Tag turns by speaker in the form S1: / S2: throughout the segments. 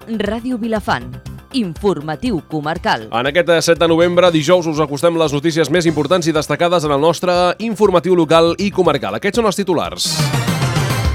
S1: Ràdio Vilafant. Informatiu comarcal.
S2: En aquest 7 de novembre, dijous, us acostem les notícies més importants i destacades en el nostre informatiu local i comarcal. Aquests són els titulars.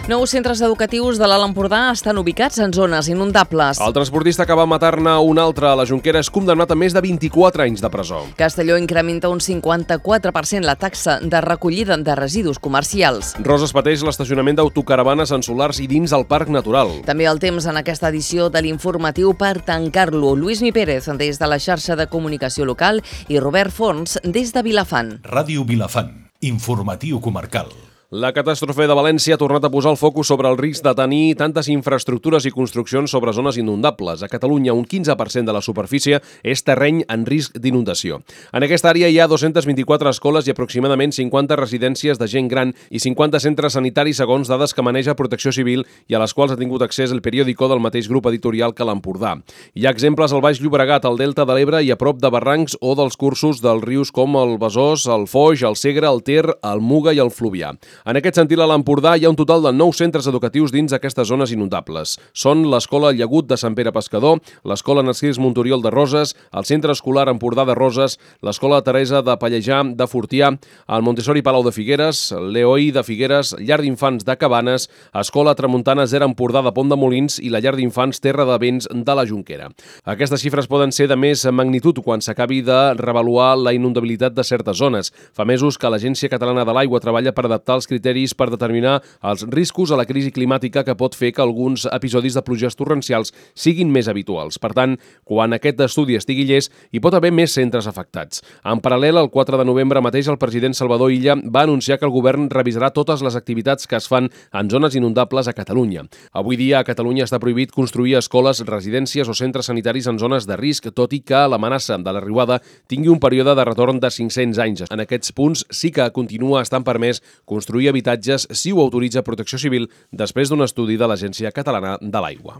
S1: Nous centres educatius de l'Alt Empordà estan ubicats en zones inundables.
S2: El transportista que va matar-ne un altre a la Jonquera és condemnat a més de 24 anys de presó.
S1: Castelló incrementa un 54% la taxa de recollida de residus comercials.
S2: Roses pateix l'estacionament d'autocaravanes en solars i dins el Parc Natural.
S1: També el temps en aquesta edició de l'informatiu per tancar-lo. Luismi Pérez des de la xarxa de comunicació local i Robert Forns des de Vilafant.
S3: Ràdio Vilafant. Informatiu comarcal.
S2: La catàstrofe de València ha tornat a posar el focus sobre el risc de tenir tantes infraestructures i construccions sobre zones inundables. A Catalunya, un 15% de la superfície és terreny en risc d'inundació. En aquesta àrea hi ha 224 escoles i aproximadament 50 residències de gent gran i 50 centres sanitaris segons dades que maneja Protecció Civil i a les quals ha tingut accés el periòdico del mateix grup editorial que l'Empordà. Hi ha exemples al Baix Llobregat, al Delta de l'Ebre i a prop de barrancs o dels cursos dels rius com el Besòs, el Foix, el Segre, el Ter, el Muga i el Fluvià. En aquest sentit, a l'Empordà hi ha un total de 9 centres educatius dins aquestes zones inundables. Són l'Escola Llagut de Sant Pere Pescador, l'Escola Narcís Montoriol de Roses, el Centre Escolar Empordà de Roses, l'Escola Teresa de Pallejà de Fortià, el Montessori Palau de Figueres, l'EOI de Figueres, Llar d'Infants de Cabanes, Escola Tramuntana Zero Empordà de Pont de Molins i la Llar d'Infants Terra de Vents de la Jonquera. Aquestes xifres poden ser de més magnitud quan s'acabi de revaluar la inundabilitat de certes zones. Fa mesos que l'Agència Catalana de l'Aigua treballa per adaptar els criteris per determinar els riscos a la crisi climàtica que pot fer que alguns episodis de pluges torrencials siguin més habituals. Per tant, quan aquest estudi estigui llest, hi pot haver més centres afectats. En paral·lel, el 4 de novembre mateix, el president Salvador Illa va anunciar que el govern revisarà totes les activitats que es fan en zones inundables a Catalunya. Avui dia, a Catalunya està prohibit construir escoles, residències o centres sanitaris en zones de risc, tot i que l'amenaça de la riuada tingui un període de retorn de 500 anys. En aquests punts sí que continua estant permès construir habitatges si ho autoritza Protecció Civil després d'un estudi de l'Agència Catalana de l'Aigua.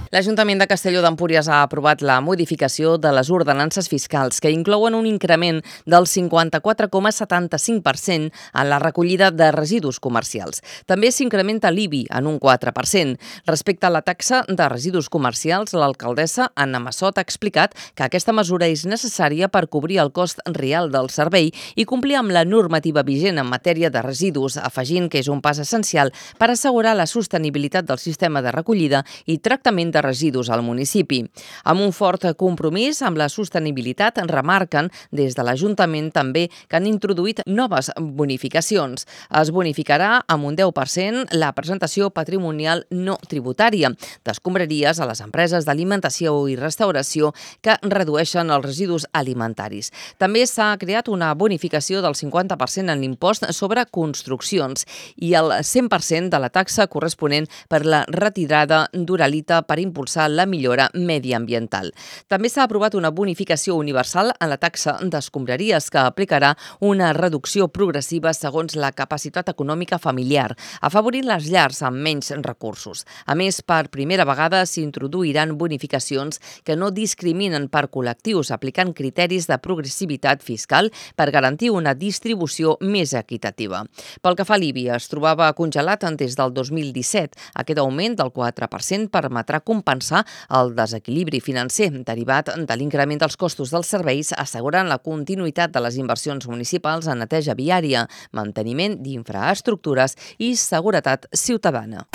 S1: L'Ajuntament de Castelló d'Empúries ha aprovat la modificació de les ordenances fiscals que inclouen un increment del 54,75% en la recollida de residus comercials. També s'incrementa l'IBI en un 4%. Respecte a la taxa de residus comercials, l'alcaldessa Anna Massot ha explicat que aquesta mesura és necessària per cobrir el cost real del servei i complir amb la normativa vigent en matèria de residus, afegint que és un pas essencial per assegurar la sostenibilitat del sistema de recollida i tractament de residus al municipi. Amb un fort compromís amb la sostenibilitat, remarquen des de l'Ajuntament també que han introduït noves bonificacions. Es bonificarà amb un 10% la presentació patrimonial no tributària d'escombraries a les empreses d'alimentació i restauració que redueixen els residus alimentaris. També s'ha creat una bonificació del 50% en l'impost sobre construccions i el 100% de la taxa corresponent per la retirada d'uralita per impulsar la millora mediambiental. També s'ha aprovat una bonificació universal en la taxa d'escombraries que aplicarà una reducció progressiva segons la capacitat econòmica familiar, afavorint les llars amb menys recursos. A més, per primera vegada s'introduiran bonificacions que no discriminen per col·lectius, aplicant criteris de progressivitat fiscal per garantir una distribució més equitativa. Pel que fa a l'IBI, es trobava congelat des del 2017. Aquest augment del 4% permetrà compensar el desequilibri financer derivat de l'increment dels costos dels serveis, assegurant la continuïtat de les inversions municipals en neteja viària, manteniment d'infraestructures i seguretat ciutadana.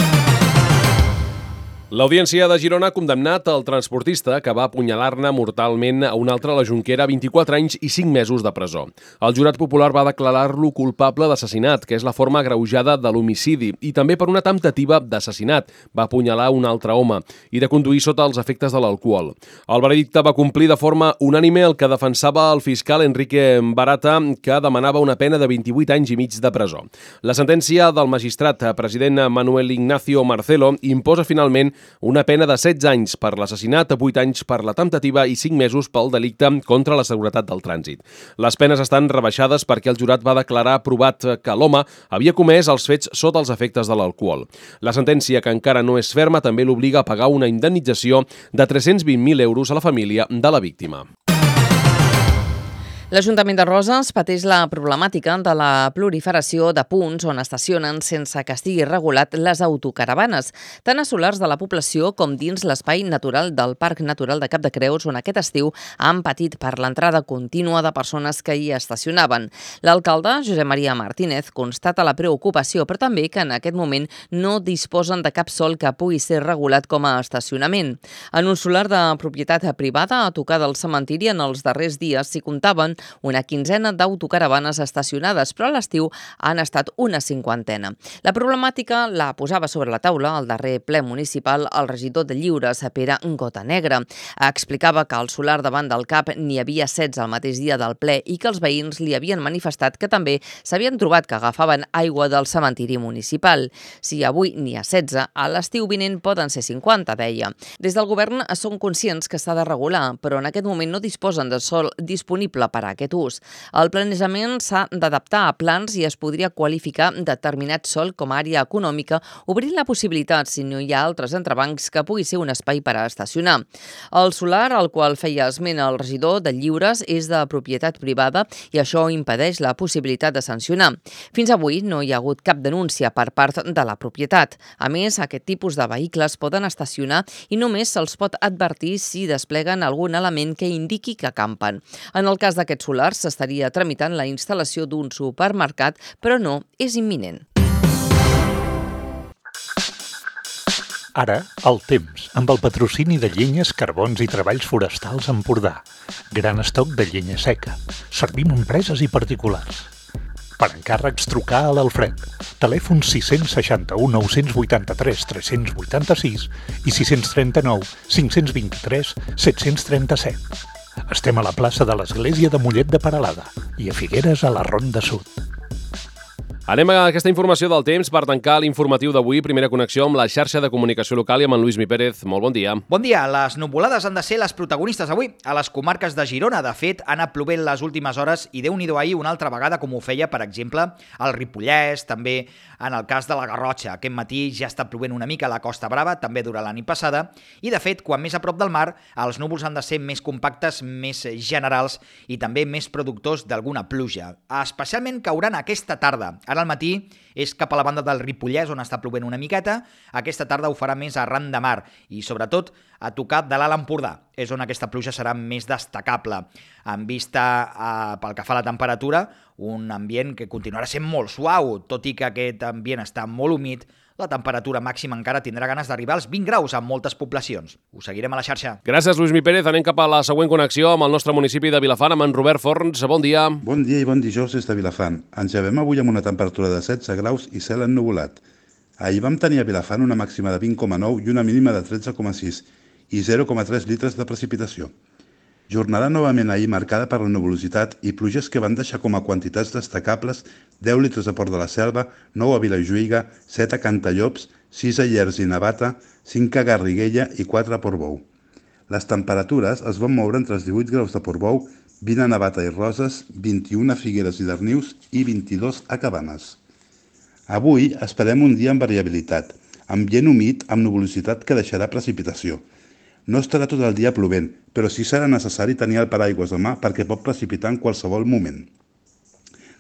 S2: L'Audiència de Girona ha condemnat el transportista que va apunyalar-ne mortalment a un altre a la Jonquera a 24 anys i 5 mesos de presó. El jurat popular va declarar-lo culpable d'assassinat, que és la forma agreujada de l'homicidi, i també per una temptativa d'assassinat. Va apunyalar un altre home i de conduir sota els efectes de l'alcohol. El veredicte va complir de forma unànime el que defensava el fiscal Enrique Barata, que demanava una pena de 28 anys i mig de presó. La sentència del magistrat president Manuel Ignacio Marcelo imposa finalment una pena de 16 anys per l'assassinat, 8 anys per la temptativa i 5 mesos pel delicte contra la seguretat del trànsit. Les penes estan rebaixades perquè el jurat va declarar provat que l'home havia comès els fets sota els efectes de l'alcohol. La sentència, que encara no és ferma, també l'obliga a pagar una indemnització de 320.000 euros a la família de la víctima.
S1: L'Ajuntament de Roses pateix la problemàtica de la proliferació de punts on estacionen sense que estigui regulat les autocaravanes, tant a solars de la població com dins l'espai natural del Parc Natural de Cap de Creus, on aquest estiu han patit per l'entrada contínua de persones que hi estacionaven. L'alcalde, Josep Maria Martínez, constata la preocupació, però també que en aquest moment no disposen de cap sòl que pugui ser regulat com a estacionament. En un solar de propietat privada a tocar del cementiri, en els darrers dies s'hi comptaven una quinzena d'autocaravanes estacionades, però a l'estiu han estat una cinquantena. La problemàtica la posava sobre la taula al darrer ple municipal el regidor de Lliures, Pere Gotanegra. Explicava que al solar davant del CAP n'hi havia 16 el mateix dia del ple i que els veïns li havien manifestat que també s'havien trobat que agafaven aigua del cementiri municipal. Si avui n'hi ha 16, a l'estiu vinent poden ser 50, deia. Des del govern són conscients que s'ha de regular, però en aquest moment no disposen de sòl disponible per a aquest ús. El planejament s'ha d'adaptar a plans i es podria qualificar determinat sòl com a àrea econòmica, obrint la possibilitat, si no hi ha altres entrebancs, que pugui ser un espai per a estacionar. El solar, al qual feia esment el regidor de Lliures, és de propietat privada i això impedeix la possibilitat de sancionar. Fins avui no hi ha hagut cap denúncia per part de la propietat. A més, aquest tipus de vehicles poden estacionar i només se'ls pot advertir si despleguen algun element que indiqui que campen. En el cas d'aquests solars s'estaria tramitant la instal·lació d'un supermercat, però no és imminent.
S3: Ara, el temps, amb el patrocini de Llenyes, Carbons i Treballs Forestals Empordà. Gran estoc de llenya seca. Servim a empreses i particulars. Per encàrrecs, trucar a l'Alfred. Telèfon 661 983 386 i 639 523 737. Estem a la plaça de l'Església de Mollet de Peralada i a Figueres, a la Ronda Sud.
S2: Anem a aquesta informació del temps per tancar l'informatiu d'avui. Primera connexió amb la xarxa de comunicació local i amb en Lluís Mi Pérez. Molt bon dia.
S4: Bon dia. Les nuvolades han de ser les protagonistes avui a les comarques de Girona. De fet, han anat plovent les últimes hores i Déu-n'hi-do ahir una altra vegada, com ho feia, per exemple, al Ripollès, també en el cas de la Garrotxa. Aquest matí ja està plovent una mica a la Costa Brava, també durant la nit passada, i de fet, quan més a prop del mar, els núvols han de ser més compactes, més generals i també més productors d'alguna pluja. Especialment cauran aquesta tarda. Ara al matí és cap a la banda del Ripollès, on està plovent una miqueta. Aquesta tarda ho farà més arran de mar i, sobretot, a tocar de l'Alt Empordà. És on aquesta pluja serà més destacable. En vista, pel que fa a la temperatura, un ambient que continuarà sent molt suau, tot i que aquest ambient està molt humit. La temperatura màxima encara tindrà ganes d'arribar als 20 graus en moltes poblacions. Ho seguirem a la xarxa.
S2: Gràcies, Lluís Mi Pérez. Anem cap a la següent connexió amb el nostre municipi de Vilafant, amb en Robert Forns. Bon dia.
S5: Bon dia i bon dijous des de Vilafant. Ens llevem avui amb una temperatura de 16 graus i cel ennuvolat. Ahir vam tenir a Vilafant una màxima de 20,9 i una mínima de 13,6 i 0,3 litres de precipitació. Jornada novament ahir marcada per la nuvolositat i pluges que van deixar com a quantitats destacables 10 litres a Port de la Selva, 9 a Vilajuïga, 7 a Cantallops, 6 a Llers i Navata, 5 a Garriguella i 4 a Portbou. Les temperatures es van moure entre els 18 graus de Portbou, 20 a Navata i Roses, 21 a Figueres i Darnius i 22 a Cabanes. Avui esperem un dia amb variabilitat, ambient humit amb nuvolositat que deixarà precipitació. No estarà tot el dia plovent, però sí serà necessari tenir el paraigües a mà perquè pot precipitar en qualsevol moment.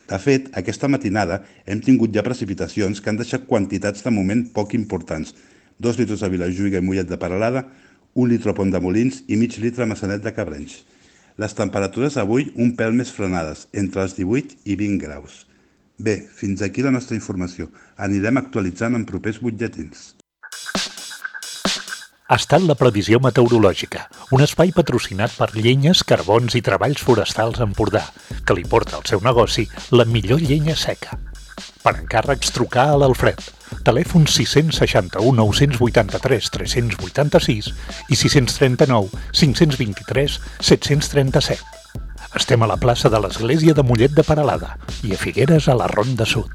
S5: De fet, aquesta matinada hem tingut ja precipitacions que han deixat quantitats de moment poc importants. 2 litres a Vilajuïga i Mollet de Peralada, 1 litre a Pont de Molins i mig litre a Maçanet de Cabrenys. Les temperatures avui un pèl més frenades, entre els 18 i 20 graus. Bé, fins aquí la nostra informació. Anirem actualitzant en propers butlletins.
S3: Ha estat la previsió meteorològica, un espai patrocinat per Llenyes, Carbons i Treballs Forestals Empordà, que li porta al seu negoci la millor llenya seca. Per encàrrecs, trucar a l'Alfred. Telèfon 661 983 386 i 639 523 737. Estem a la plaça de l'Església de Mollet de Peralada i a Figueres, a la Ronda Sud.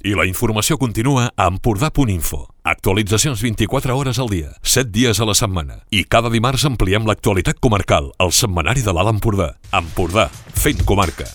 S6: I la informació continua a Empordà.info. Actualitzacions 24 hores al dia, 7 dies a la setmana. I cada dimarts ampliem l'actualitat comarcal al setmanari de l'Alt Empordà. Empordà, fent comarca.